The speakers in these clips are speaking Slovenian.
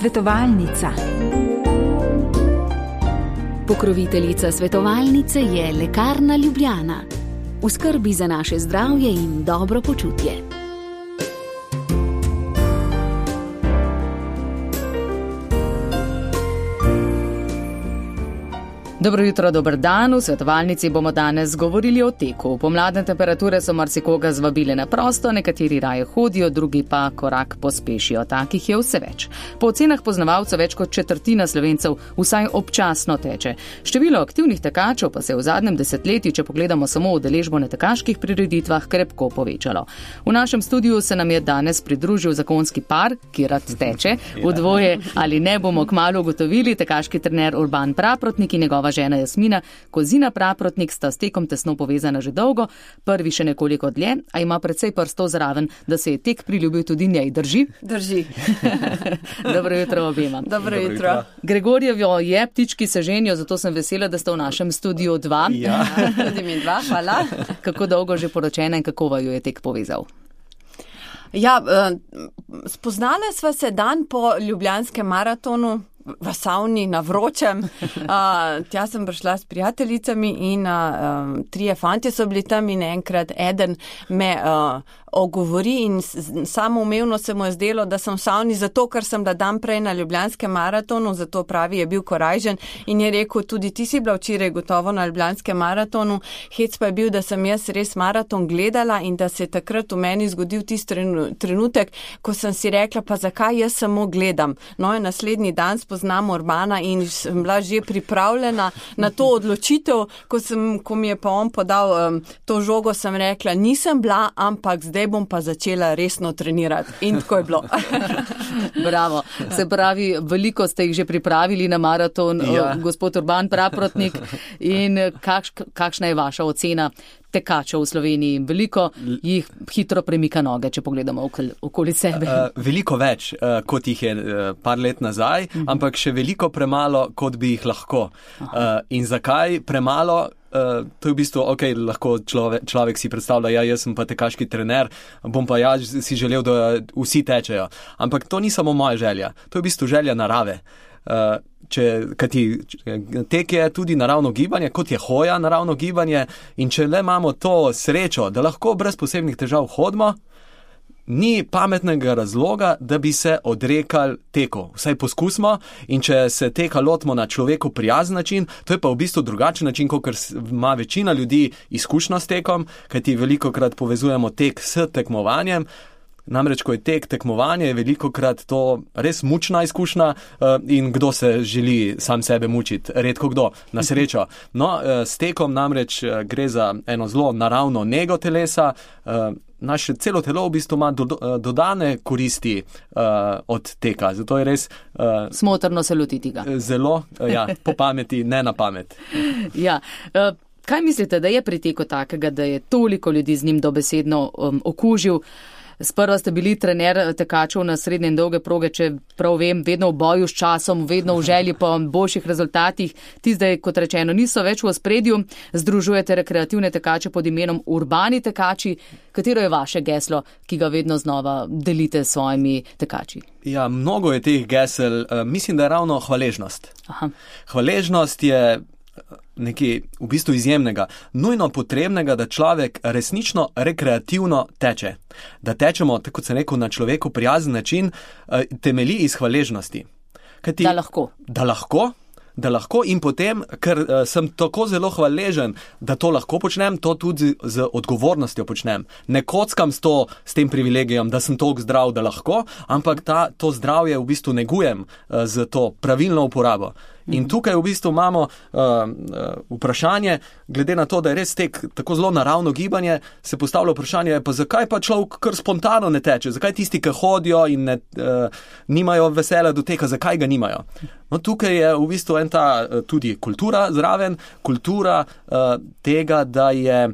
Svetovalnica. Pokroviteljica svetovalnice je Lekarna Ljubljana. V skrbi za naše zdravje in dobro počutje. Dobro jutro, dober dan. V svetovalnici bomo danes govorili o teku. Pomladne temperature so marsikoga zvabile na prosto, nekateri raje hodijo, drugi pa korak pospešijo. Takih je vse več. Po ocenah poznavalcev več kot četrtina Slovencev vsaj občasno teče. Število aktivnih tekačev pa se je v zadnjem desetletju, če pogledamo samo udeležbo na tekaških prireditvah, krepko povečalo. V našem studiu se nam je danes pridružil zakonski par, ki rad teče. V dvoje ali ne bomo kmalu ugotovili. Tekaški trener Urban Praprotnik in njegova žena Jasmina Kozina Praprotnik sta s tekom tesno povezana že dolgo, prvi še nekoliko dlje, a ima precej prstov zraven, da se je tek priljubil tudi njej. Drži? Drži. Dobro jutro obema. Dobro jutro. Gregorjevo je, ptički se ženijo, zato sem vesela, da ste v našem studiu dva. Ja, tudi mi dva, hvala. Kako dolgo že poročena in kako vaju je tek povezal? Ja, spoznale sva se dan po ljubljanskem maratonu, v savni, na vročem. Tja sem prišla s prijateljicami in trije fantje so bili tam in enkrat eden me ogovori in samoumevno se mu je zdelo, da sem v savni zato, ker sem da dan prej na ljubljanskem maratonu, zato pravi je bil korajžen in je rekel, tudi ti si bila včeraj gotovo na ljubljanskem maratonu. Hec pa je bil, da sem jaz res maraton gledala in da se je takrat v meni zgodil tisti trenutek, ko sem si rekla, pa zakaj jaz samo gledam. No in naslednji dan spoznam Urbana in sem bila že pripravljena na to odločitev, ko mi je pa on podal to žogo, sem rekla, nisem bila, ampak zdaj bom pa začela resno trenirati. In tako je bilo. Bravo. Se pravi, veliko ste jih že pripravili na maraton, ja. Gospod Urban Praprotnik. In kakšna je vaša ocena tekačev v Sloveniji? Veliko jih hitro premika noge, če pogledamo okoli sebe. Veliko več, kot jih je par let nazaj, ampak še veliko premalo, kot bi jih lahko. In zakaj premalo? To je v bistvu, lahko človek si predstavlja, jaz sem pa tekaški trener, bom pa si želel, da vsi tečejo. Ampak to ni samo moja želja, to je v bistvu želja narave. Tek je tudi naravno gibanje, kot je hoja naravno gibanje, in če le imamo to srečo, da lahko brez posebnih težav hodimo, ni pametnega razloga, da bi se odrekali teku. Vsaj poskusimo, in če se teka lotimo na človeku prijazen način, to je pa v bistvu drugačen način, kot ima večina ljudi izkušnjo s tekom, kajti velikokrat povezujemo tek s tekmovanjem. Namreč, ko je tek tekmovanje, je velikokrat to res mučna izkušnja in kdo se želi sam sebe mučiti? Redko kdo, na srečo. No, s tekom namreč gre za eno zelo naravno nego telesa. Naše celo telo v bistvu ima dodane koristi od teka. Zato je res smotrno se lotiti ga. Zelo, po pameti, ne na pamet. Ja. Kaj mislite, da je pri teku takega, da je toliko ljudi z njim dobesedno okužil? Sprva ste bili trener tekačev na srednje in dolge proge, če prav vem, vedno v boju s časom, vedno v želji po boljših rezultatih. Ti zdaj, kot rečeno, niso več v ospredju. Združujete rekreativne tekače pod imenom Urbani tekači. Katero je vaše geslo, ki ga vedno znova delite s svojimi tekači? Ja, mnogo je teh gesel. Mislim, da je ravno hvaležnost. Aha. Hvaležnost je nekaj v bistvu izjemnega, nujno potrebnega, da človek resnično rekreativno teče. Da tečemo, tako kot sem rekel, na človeku prijazen način, temelji iz hvaležnosti. Da lahko. Da lahko in potem, ker sem tako zelo hvaležen, da to lahko počnem, to tudi z odgovornostjo počnem. Ne kockam s tem privilegijem, da sem toliko zdrav, da lahko, ampak to zdravje v bistvu negujem z to pravilno uporabo. In tukaj v bistvu imamo vprašanje, glede na to, da je res tek tako zelo naravno gibanje, se postavlja vprašanje, pa zakaj pa človek kar spontano ne teče? Zakaj tisti, ki hodijo in nimajo veselja do teka, zakaj ga nimajo? No, tukaj je v bistvu tudi kultura zraven, kultura tega, da je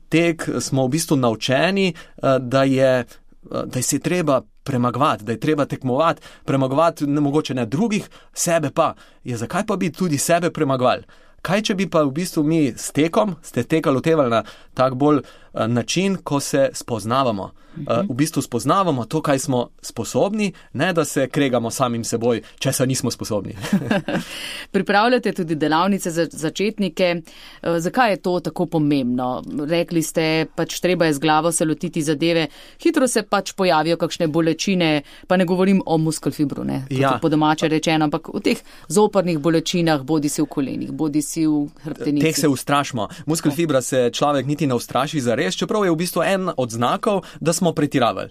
tek, smo v bistvu naučeni, da se je treba premagovati, da je treba tekmovati, premagovati mogoče ne drugih, sebe pa. Zakaj pa bi tudi sebe premagovali? Kaj, če bi pa v bistvu mi s tekom, ste teka lotevali na tak bolj način, ko se spoznavamo. V bistvu spoznavamo to, kaj smo sposobni, ne da se kregamo samim seboj, če se nismo sposobni. Pripravljate tudi delavnice za začetnike. Zakaj je to tako pomembno? Rekli ste, pač treba je z glavo se lotiti zadeve. Hitro se pač pojavijo kakšne bolečine, pa ne govorim o muskelfibru, ne? Ja. Po domače rečeno, ampak v teh zoprnih bolečinah, bodi si v kolenih, bodi si v hrbtenici. Teh se ustrašimo. Muskelfibra se človek niti ne ustraši zares, čeprav je v bistvu en od znakov, da smo pretiravali.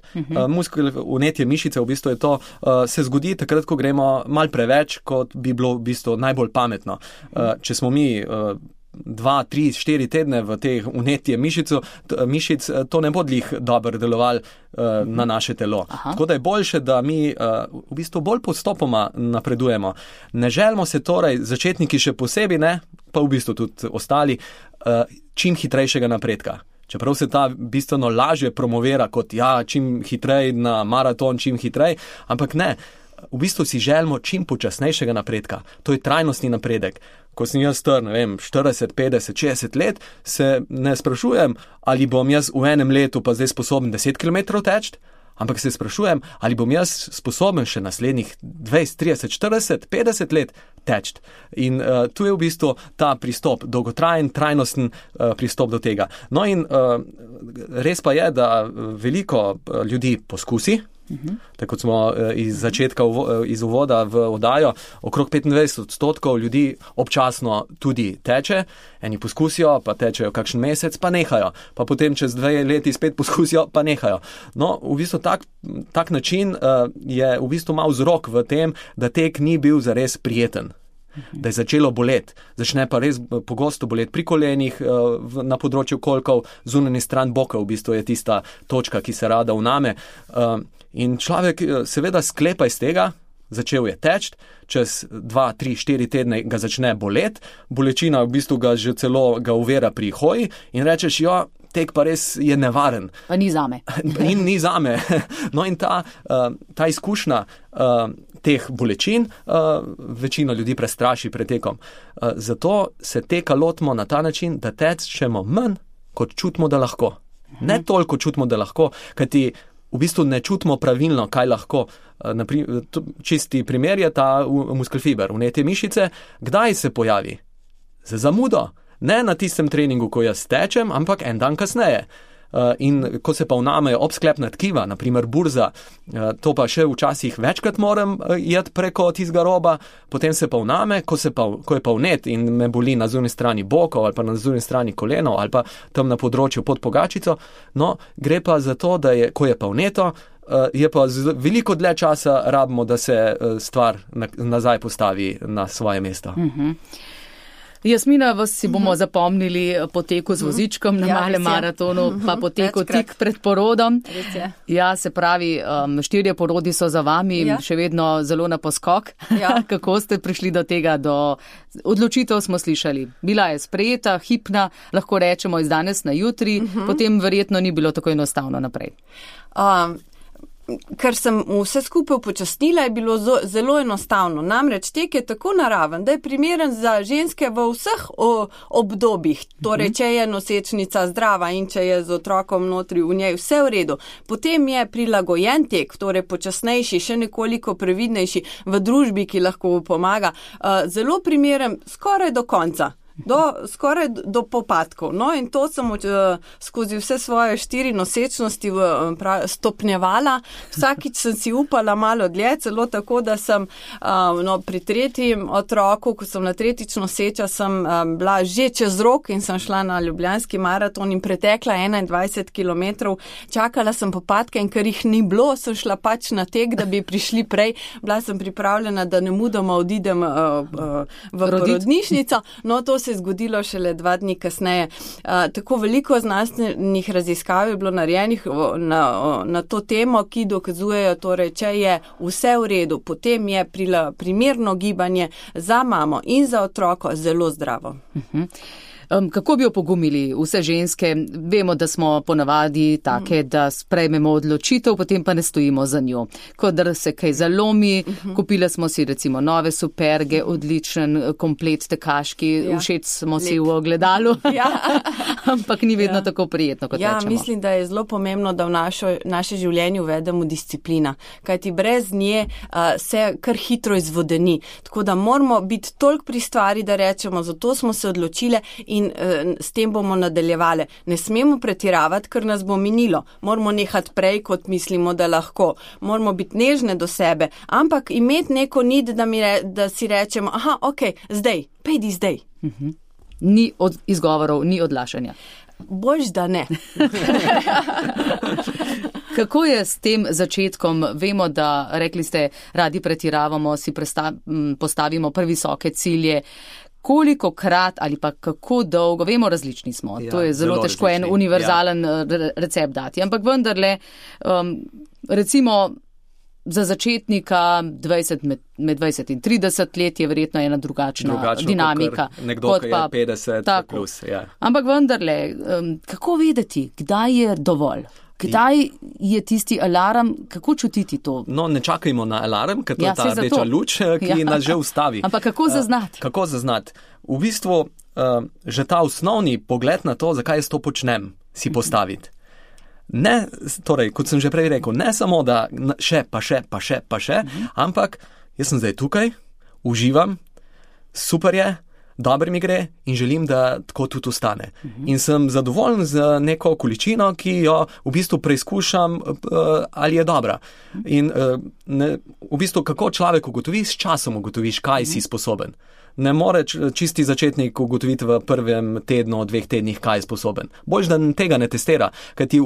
Muskel vnetje mišice, v bistvu je to, se zgodi takrat, ko gremo mal preveč, kot bi bilo v bistvu najbolj pametno. Če smo mi 2, 3, 4 tedne v teh vnetje mišic, to ne bo glih dobro delovalo na naše telo. Tako da je boljše, da mi v bistvu bolj postopoma napredujemo. Ne želimo se torej, začetniki še posebej ne, pa v bistvu tudi ostali, čim hitrejšega napredka. Čeprav se ta bistveno lažje promovira kot čim hitrej na maraton, čim hitrej, ampak ne, v bistvu si želimo čim počasnejšega napredka. To je trajnostni napredek. Ko sem jaz star, 40, 50, 60 let, se ne sprašujem, ali bom jaz v enem letu pa zdaj sposoben 10 km teči, ampak se sprašujem, ali bom jaz sposoben še naslednjih 20, 30, 40, 50 let teči. In tu je v bistvu ta pristop, dolgotrajen, trajnosten pristop do tega. No in res pa je, da veliko ljudi poskusi, tako kot smo iz začetka, iz uvoda v oddajo, okrog 25% ljudi občasno tudi teče, eni poskusijo, pa tečejo kakšen mesec, pa nehajo, pa potem čez 2 leti spet poskusijo, pa nehajo. No, v bistvu tak način je v bistvu mal vzrok v tem, da tek ni bil zares prijeten. Da je začelo boleti. Začne pa res pogosto boleti pri kolenih, na področju kolkov, zunanji stran boka v bistvu je tista točka, ki se rada vname. In človek seveda sklepa iz tega, začel je teči, čez 2, 3, 4 tedne ga začne boleti, bolečina v bistvu ga že celo ga uvera pri hoji in rečeš, tek pa res je nevaren. Pa ni zame. In ni zame. No in ta izkušnja teh bolečin večino ljudi prestraši pred tekom. Zato se teka lotimo na ta način, da tečemo manj, kot čutimo, da lahko. Ne toliko čutimo, da lahko, kajti v bistvu ne čutimo pravilno, kaj lahko. Čisti primer je ta muskelfiber, vnetje mišice. Kdaj se pojavi? Z zamudo. Ne na tistem treningu, ko jaz tečem, ampak en dan kasneje. In ko se pa vnamejo obsklepna tkiva, naprimer burza, to pa še včasih večkrat moram jeti preko tistega roba, potem se pa vname, ko je pa vnet in me boli na zunanji strani bokov ali pa na zunanji strani kolenov ali pa tam na področju pod pogačico, no, gre pa za to, da ko je pa vneto, je pa veliko dlje časa rabimo, da se stvar nazaj postavi na svoje mesto. Jasmina, vas si bomo zapomnili po teku z vozičkom na malem maratonu, pa po teku tik pred porodom. Ja, se pravi, 4 porodi so za vami, še vedno zelo na poskok. Kako ste prišli do tega, do odločitev smo slišali. Bila je sprejeta, hipna, lahko rečemo iz danes na jutri, potem verjetno ni bilo tako enostavno naprej. Ker sem vse skupaj upočasnila, je bilo zelo enostavno. Namreč tek je tako naraven, da je primeren za ženske v vseh obdobjih. Torej, če je nosečnica zdrava in če je z otrokom notri v njej vse v redu. Potem je prilagojen tek, torej počasnejši, še nekoliko previdnejši v družbi, ki lahko pomaga. Zelo primeren skoraj do konca. Skoraj do popadkov. No in to sem skozi vse svoje 4 nosečnosti stopnjevala. Vsakič sem si upala malo dlje, celo tako, da sem pri 3. otroku, ko sem na 3. noseča, sem bila že čez rok in sem šla na ljubljanski maraton in pretekla 21 km. Čakala sem popadke in ker jih ni bilo, sem šla pač na tek, da bi prišli prej. Bila sem pripravljena, da nemudoma odidem v porodnišnico. No, to se je zgodilo šele 2 dni kasneje. Tako veliko znanstvenih raziskav je bilo narejenih na to temo, ki dokazujejo, torej, če je vse v redu, potem je primerno gibanje za mamo in za otroko zelo zdravo. Kako bi opogumili vse ženske? Vemo, da smo ponavadi take, da sprejmemo odločitev, potem pa ne stojimo za njo. Ko da se kaj zalomi, kupile smo si recimo nove superge, odličen komplet tekaški, všeč smo si v ogledalu, ampak ni vedno tako prijetno, kot rečemo. Mislim, da je zelo pomembno, da v naše življenje uvedemo disciplina, kajti brez nje se kar hitro izvodeni. Tako da moramo biti toliko pri stvari, da rečemo, zato smo se odločile in s tem bomo nadaljevali. Ne smemo pretiravati, ker nas bo minilo. Moramo nehati prej, kot mislimo, da lahko. Moramo biti nežne do sebe, ampak imeti neko nit, da si rečemo, zdaj, pejdi zdaj. Ni izgovorov, ni odlašanja. Boljš, da ne. Kako je s tem začetkom? Vemo, da, rekli ste, radi pretiravamo, si postavimo previsoke cilje. Kolikokrat ali pa kako dolgo, vemo, različni smo. To je zelo težko različni. En univerzalen recept dati. Ampak vendarle, recimo za začetnika med 20 in 30 let je verjetno ena drugačna dinamika. Nekdo, ki je 50 plus. Ja. Ampak vendarle, kako vedeti, kdaj je dovolj? Kdaj je tisti alarm, kako čutiti to? No, ne čakajmo na alarm, ker to je ta rdeča luč, ki nas že ustavi. Ampak kako zaznati? Kako zaznati? V bistvu, že ta osnovni pogled na to, zakaj jaz to počnem, si postaviti. Ne, torej, kot sem že prej rekel, ne samo, da še, ampak jaz sem zdaj tukaj, uživam, super je, dobro mi gre in želim, da tako tudi ostane. In sem zadovoljen z neko količino, ki jo v bistvu preizkušam, ali je dobra. In v bistvu, kako človek ugotovi, s časom ugotoviš, kaj si sposoben. Ne more čisti začetnik ugotoviti v prvem tednu, 2 tednih, kaj je sposoben. Boljš, da tega ne testira, kajti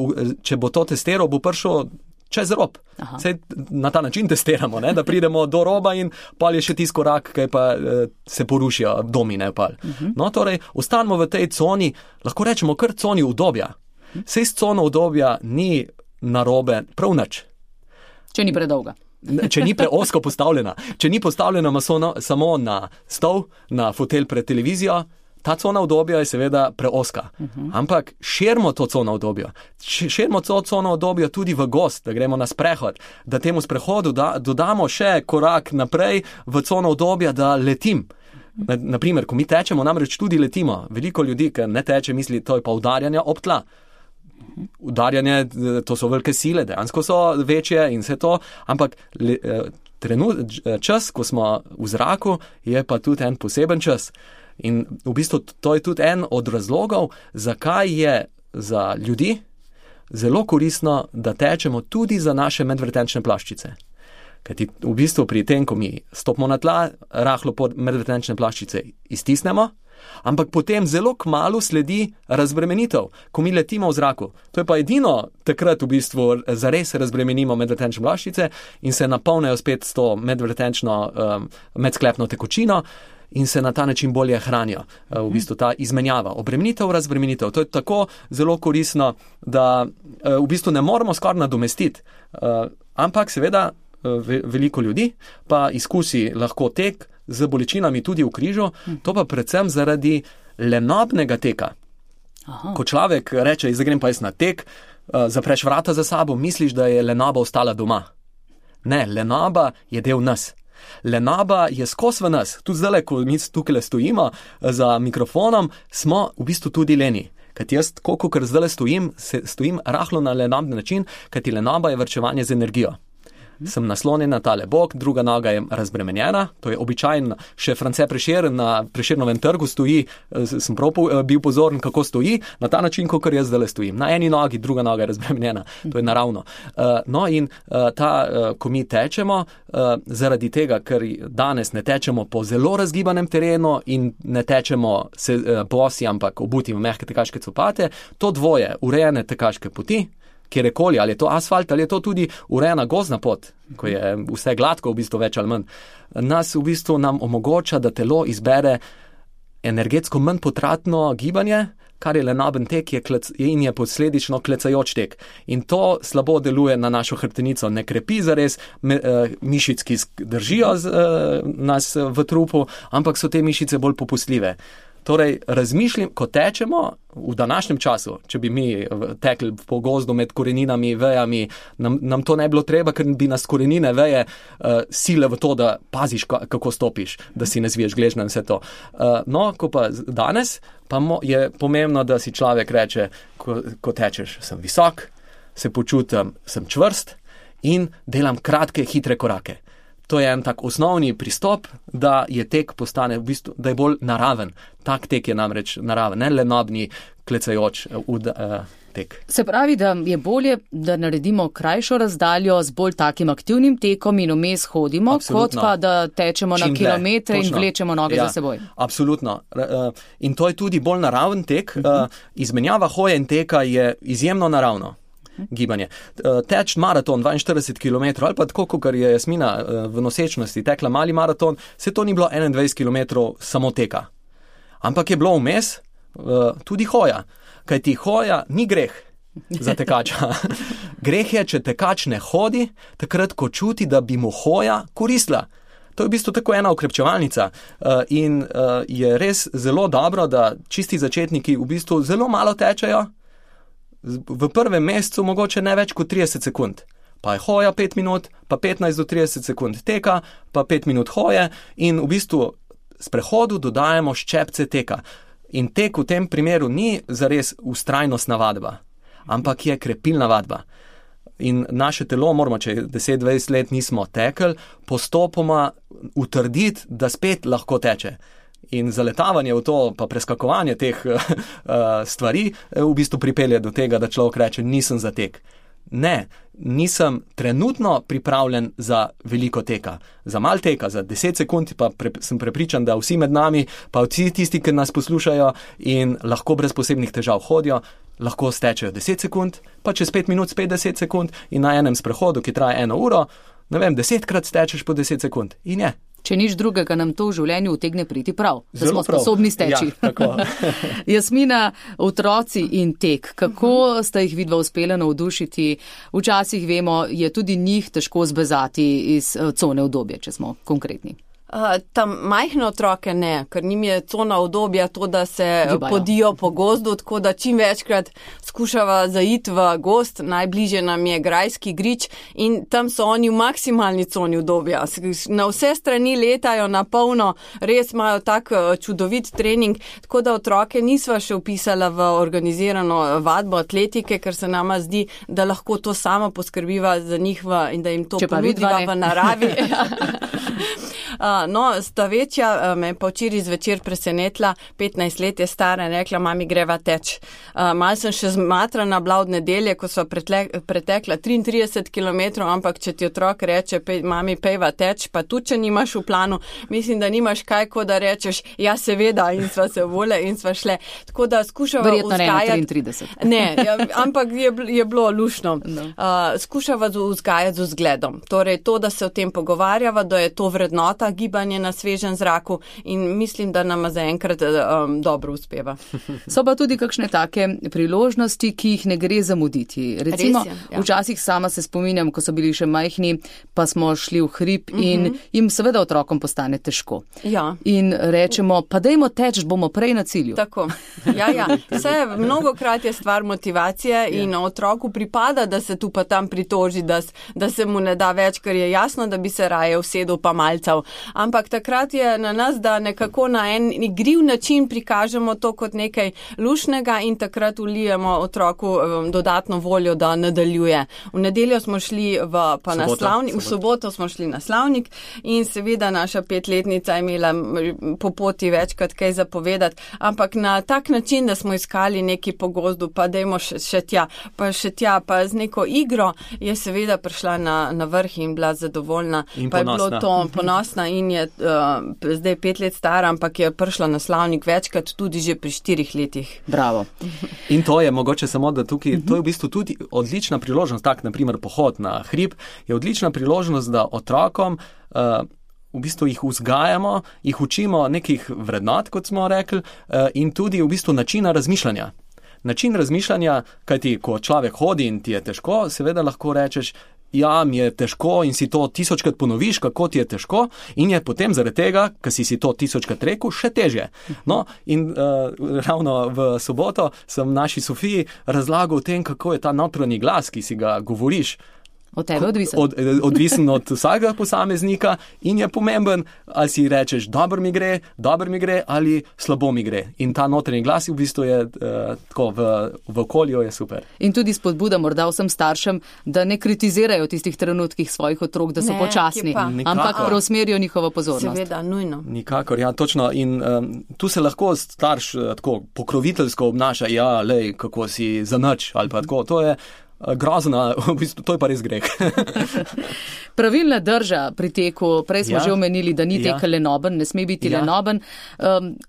če bo to testiral, bo prišel čez rob. Sej na ta način testiramo, ne? Da pridemo do roba in pol je še tisti korak, kaj pa se porušijo domine. No, torej, ostanemo v tej coni, lahko rečemo kar coni udobja. Sej s cono udobja ni narobe prav nič. Če ni predolga. Če ni preozko postavljena. Če ni postavljena samo na stol, na fotelj pred televizijo, ta cona udobja je seveda preozka. Ampak širimo to cono udobja. Širimo to cono udobja tudi v gost, da gremo na sprehod, da temu sprehodu dodamo še korak naprej v cono udobja, da letim. Naprimer, ko mi tečemo, namreč tudi letimo. Veliko ljudi, ki ne teče, misli, to je pa udarjanje ob tla. Udarjanje, to so velike sile, dejansko so večje in vse to, ampak čas, ko smo v zraku, je pa tudi en poseben čas. In v bistvu to je tudi en od razlogov, zakaj je za ljudi zelo koristno, da tečemo tudi za naše medvretenčne plaščice. Kajti v bistvu pri tem, ko mi stopimo na tla, rahlo pod medvretenčne plaščice iztisnemo, ampak potem zelo kmalu sledi razbremenitev, ko mi letimo v zraku. To je pa edino takrat v bistvu zares razbremenimo medvretenčne plaščice in se napolnejo spet s to medvretenčno medsklepno tekočino in se na ta način bolje hranijo. V bistvu ta izmenjava, obremenitev, razbremenitev. To je tako zelo koristno, da v bistvu ne moramo skoraj nadomestiti. Ampak seveda veliko ljudi pa izkusi lahko tek z bolečinami tudi v križu, to pa predvsem zaradi lenobnega teka. Ko človek reče, zdaj grem pa jaz na tek, zapreš vrata za sabo, misliš, da je lenoba ostala doma. Ne, lenoba je del nas. Lenoba je skos v nas. Tudi zdaj, ko mi tukaj stojimo za mikrofonom, smo v bistvu tudi leni. Kajti jaz, kolikor zdaj stojim rahlo na lenobni način, kajti lenoba je varčevanje z energijo. Sem naslonjen na tale bok, druga noga je razbremenjena, to je običajno, še France Prešeren na Prešernovem trgu stoji, sem prav bil pozoren, kako stoji, na ta način, kakor jaz zdaj stojim. Na eni nogi, druga noga je razbremenjena, to je naravno. No in ko mi tečemo, zaradi tega, ker danes ne tečemo po zelo razgibanem terenu in ne tečemo bosi, ampak obuti v mehke tekaške copate, to dvoje, urejene tekaške poti, kjerkoli, ali je to asfalt, ali je to tudi urejena gozdna pot, ko je vse gladko, v bistvu več ali manj, nas v bistvu nam omogoča, da telo izbere energetsko manj potratno gibanje, kar je lenoben tek in je posledično klecajoč tek. In to slabo deluje na našo hrbtenico, ne krepi zares mišic, ki držijo nas v trupu, ampak so te mišice bolj popustljive. Torej, razmišljam, ko tečemo v današnjem času, če bi mi tekli po gozdu med koreninami, vejami, nam to ne bilo treba, ker bi nas korenine, veje sile v to, da paziš, kako stopiš, da si ne zviješ gležnja in vse to. No, ko pa danes, pa je pomembno, da si človek reče, ko tečeš, sem visok, se počutim, sem čvrst in delam kratke, hitre korake. To je en tak osnovni pristop, da je tek postane v bistvu, da je bolj naraven. Tak tek je namreč naraven, ne lenobni, klecajoč tek. Se pravi, da je bolje, da naredimo krajšo razdaljo z bolj takim aktivnim tekom in vmes hodimo, Absolutno. kot pa da tečemo na kilometre in vlečemo noge za seboj. Absolutno. In to je tudi bolj naraven tek. Izmenjava hoje in teka je izjemno naravno gibanje. Teč maraton 42 km ali pa tako, kot je Jasmina v nosečnosti tekla mali maraton, se to ni bilo 21 km samo teka. Ampak je bilo vmes tudi hoja. Kajti hoja ni greh za tekača. Greh je, če tekač ne hodi, takrat, ko čuti, da bi mu hoja koristila. To je v bistvu tako ena okrepčevalnica in je res zelo dobro, da čisti začetniki v bistvu zelo malo tečejo, v prvem mesecu mogoče ne več kot 30 sekund. Pa je hoja 5 minut, pa 15 do 30 sekund teka, pa 5 minut hoje in v bistvu s prehodu dodajemo ščepce teka. In tek v tem primeru ni zares vztrajnostna vadba, ampak je krepilna vadba. In naše telo moramo, če 10-20 let nismo tekli, postopoma utrditi, da spet lahko teče. In zaletavanje v to, pa preskakovanje teh stvari v bistvu pripelje do tega, da človek reče, nisem za tek. Ne, nisem trenutno pripravljen za veliko teka. Za mal teka, za 10 sekund pa sem prepričan, da vsi med nami, pa vsi tisti, ki nas poslušajo in lahko brez posebnih težav hodijo, lahko stečejo 10 sekund, pa čez 5 minut spet 10 sekund in na enem sprehodu, ki traja 1 uro, ne vem, 10krat stečeš po 10 sekund. In je. Če nič drugega, nam to v življenju utegne priti prav, da smo sposobni steči. Ja, tako. Jasmina, otroci in tek, kako sta jih vidva uspela navdušiti? Včasih vemo, je tudi njih težko zbezati iz cone udobja, če smo konkretni. Tam majhne otroke ne, ker njim je cona udobja to, da se podijo po gozdu, tako da čim večkrat skušava zaiti v gozd, najbližje nam je grajski grič in tam so oni v maksimalni coni udobja. Na vse strani letajo na polno, res imajo tak čudovit trening, tako da otroke nisva še vpisala v organizirano vadbo atletike, ker se nama zdi, da lahko to sama poskrbiva za njih in da jim to ponudiva v naravi. No, sta večja, me pa včeraj zvečer presenetila, 15 let je stara in rekla, mami, greva teč. Mal sem še zmatrana bila od nedelje, ko sva pretekla 33 km, ampak če ti otrok reče, mami, pejva teč, pa tudi, če nimaš v planu, mislim, da nimaš kaj, ko da rečeš, ja, seveda, in sva se vole in sva šle. Tako da skušava vzgajati. Verjetno ne 33. Ne, ampak je bilo lušno. No. Skušava vzgajati z vzgledom. Torej, to, da se o tem pogovarjava, da je to vrednota, gibanje na svežem zraku in mislim, da nama zaenkrat dobro uspeva. So pa tudi kakšne take priložnosti, ki jih ne gre zamuditi. Recimo, včasih sama se spominjam, ko so bili še majhni, pa smo šli v hrib in jim seveda otrokom postane težko. Ja. In rečemo, pa dajmo teč, bomo prej na cilju. Tako. Ja. Vse mnogokrat je stvar motivacije in otroku pripada, da se tu pa tam pritoži, da se mu ne da več, ker je jasno, da bi se raje usedel pa malcal. Ampak takrat je na nas, da nekako na en igriv način prikažemo to kot nekaj lušnega in takrat vlijemo otroku dodatno voljo, da nadaljuje. V nedeljo smo šli v soboto smo šli na slavnik in seveda naša 5-letnica je imela po poti večkrat kaj zapovedati, ampak na tak način, da smo iskali neki po gozdu, pa dajmo še tja, pa z neko igro je seveda prišla na vrh in bila zadovoljna. In pa ponosna. Je bilo to ponosna in je zdaj 5 let stara, ampak je prišla na slavnik večkrat tudi že pri 4 letih. Bravo. In to je mogoče samo, da tukaj, to je v bistvu tudi odlična priložnost, tak naprimer pohod na hrib, je odlična priložnost, da otrokom v bistvu jih vzgajamo, jih učimo nekih vrednot, kot smo rekli, in tudi v bistvu načina razmišljanja. Način razmišljanja, kajti ko človek hodi in ti je težko, seveda lahko rečeš, ja, mi je težko in si to 1000krat ponoviš, kako ti je težko in je potem zaradi tega, ker si to 1000krat rekel, še težje. No, in ravno v soboto sem naši Sofiji razlagal o tem, kako je ta notranji glas, ki si ga govoriš, od tebe odvisen. Odvisen od vsakega posameznika in je pomemben, ali si rečeš, dobro mi gre ali slabo mi gre. In ta notranji glas v bistvu je tako v okolju je super. In tudi spodbuda morda vsem staršem, da ne kritizirajo tistih trenutkih svojih otrok, da so počasni, ampak preusmerijo njihovo pozornost. Seveda, nujno. Nikakor, ja, točno. In tu se lahko starš tako pokroviteljsko obnaša, ja, lej, kako si zanič ali pa tako. To je grozna, v bistvu, to je pa res greh. Pravilna drža pri teku, prej smo že omenili, da ni tek lenoben, ne sme biti lenoben.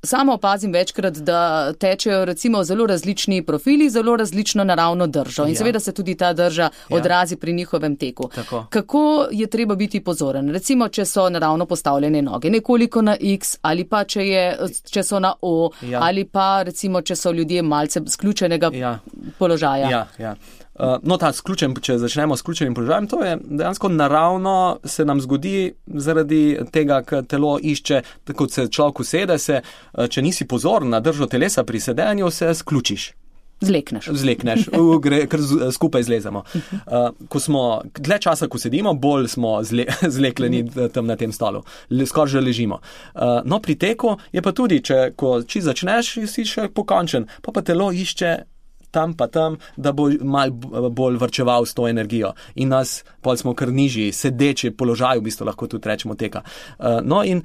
Samo opazim večkrat, da tečejo recimo zelo različni profili, zelo različno naravno držo in seveda se tudi ta drža odrazi pri njihovem teku. Tako. Kako je treba biti pozoren? Recimo, če so naravno postavljene noge, nekoliko na X ali pa če so na O ali pa recimo, če so ljudje malce sključenega položaja. Ja. No, če začnemo s ključenim položajem, to je dejansko naravno se nam zgodi zaradi tega, ker telo išče, kot se človek usede, če nisi pozoren na držo telesa pri sedenju, se sključiš. Zlekneš, ker skupaj zlezemo. Ko smo dlje časa, ko sedimo, bolj smo zlekleni tam na tem stolu. Skoraj že ležimo. No, pri teku je pa tudi, ko začneš, si še pokončen, pa telo išče tam, da bo malo bolj varčeval s to energijo. In pol smo kar nižji, sedeči položaj, v bistvu lahko tudi rečemo teka. No in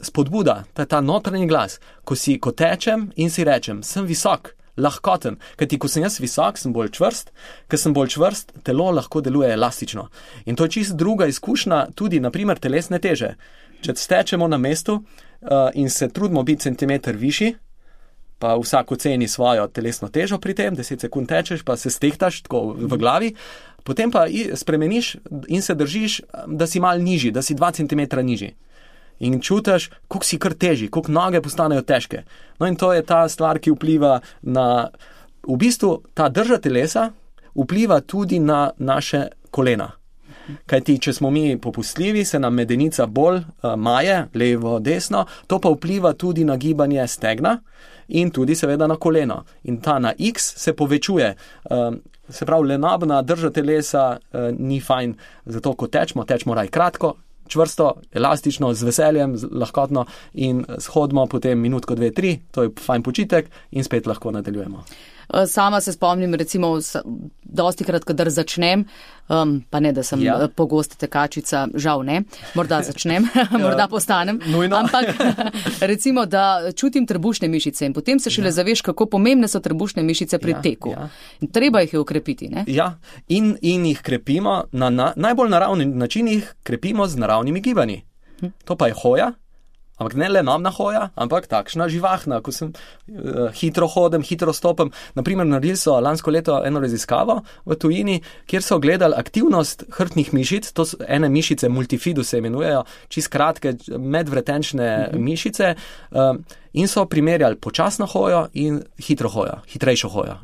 spodbuda, ta notranji glas, ko tečem in si rečem, sem visok, lahkoten, kajti ko sem jaz visok, sem bolj čvrst, ker sem bolj čvrst, telo lahko deluje elastično. In to je čisto druga izkušnja, tudi naprimer telesne teže. Če stečemo na mestu in se trudimo biti centimeter višji, pa vsak oceni svojo telesno težo pri tem, 10 sekund tečeš, pa se stehtaš tako v glavi, potem pa spremeniš in se držiš, da si malo nižji, da si 2 centimetra nižji. In čutiš, koliko si kar teži, koliko noge postanejo težke. No in to je ta stvar, ki vpliva na, v bistvu ta drža telesa vpliva tudi na naše kolena. Kajti, če smo mi popustljivi, se nam medenica bolj maje, levo, desno, to pa vpliva tudi na gibanje stegna in tudi seveda na koleno. In ta na X se povečuje. Se pravi, lenobna drža telesa ni fajn, zato ko tečemo raj kratko, čvrsto, elastično, z veseljem, lahkotno in shodimo potem minutko, 2, 3, to je fajn počitek in spet lahko nadaljujemo. Sama se spomnim, recimo, dostikrat, kadar začnem, pa ne, da sem pogosta tekačica, žal ne, morda začnem, morda postanem, ampak recimo, da čutim trebušne mišice in potem se šele zaveš, kako pomembne so trebušne mišice pri teku. In treba jih je ukrepiti, ne? Ja, in jih krepimo, na najbolj naravni način jih krepimo z naravnimi gibanji. To pa je hoja. Ampak ne le namna hoja, ampak takšna živahna, ko sem hitro hodem, hitro stopem. Naprimer, naredili so lansko leto eno raziskavo v tujini, kjer so gledali aktivnost hrbtnih mišic, to so ene mišice, multifidus se imenujejo, čisto kratke medvretenčne mišice, in so primerjali počasno hojo in hitro hojo, hitrejšo hojo.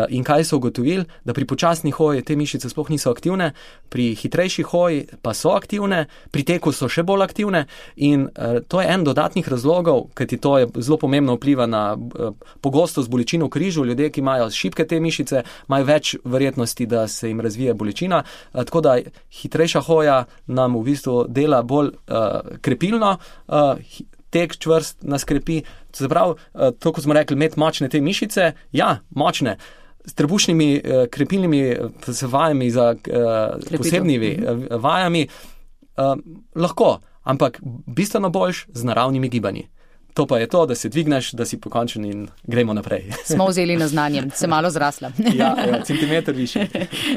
In kaj so ugotovili? Da pri počasni hoji te mišice sploh niso aktivne, pri hitrejši hoji pa so aktivne, pri teku so še bolj aktivne in to je en dodatnih razlogov, kajti to je zelo pomembno vpliva na pogostost bolečin v križu. Ljudje, ki imajo šibke te mišice, imajo več verjetnosti, da se jim razvije bolečina. Tako da hitrejša hoja nam v bistvu dela bolj krepilno, tek čvrst nas krepi. Se pravi, to, ko smo rekli, imeti močne te mišice, ja, močne. S trebušnimi krepilnimi vajami za posebnimi vajami lahko, ampak bistveno boljš z naravnimi gibanji. To pa je to, da se dvigneš, da si pokončen in gremo naprej. Smo vzeli na znanje, se malo zrasla. Ja, centimeter više.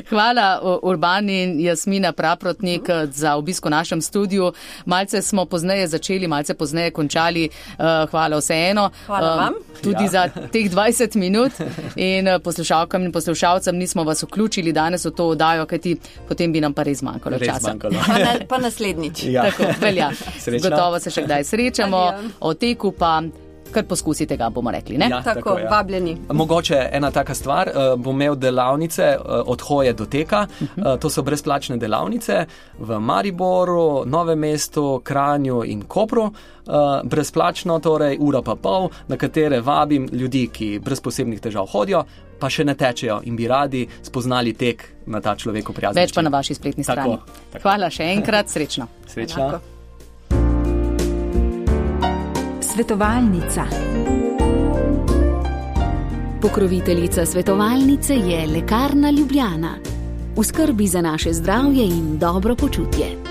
Hvala Urban in Jasmina Praprotnik za obisk v našem studiu. Malce smo pozneje začeli, malce pozneje končali. Hvala vseeno. Hvala vam. Tudi za teh 20 minut in poslušalkam in poslušalcem nismo vas vključili danes v to oddajo, kajti potem bi nam pa res manjkalo časa. Pa naslednjič. Ja. Tako, velja. Gotovo se še kdaj srečamo. O teku pa Kar poskusite ga, bomo rekli, ne? Ja, Tako, ja. vabljeni. Mogoče ena taka stvar, bom imel delavnice od hoje do teka, to so brezplačne delavnice v Mariboru, Novem mestu, Kranju in Kopru, brezplačno, torej ura pa pol, na katere vabim ljudi, ki brez posebnih težav hodijo, pa še ne tečejo in bi radi spoznali tek na ta človeku prijazen Več pa način. na vaši spletni strani. Tako. Hvala še enkrat, srečno. Srečno. Enako. Svetovalnica. Pokroviteljica svetovalnice je Lekarna Ljubljana. V skrbi za naše zdravje in dobro počutje.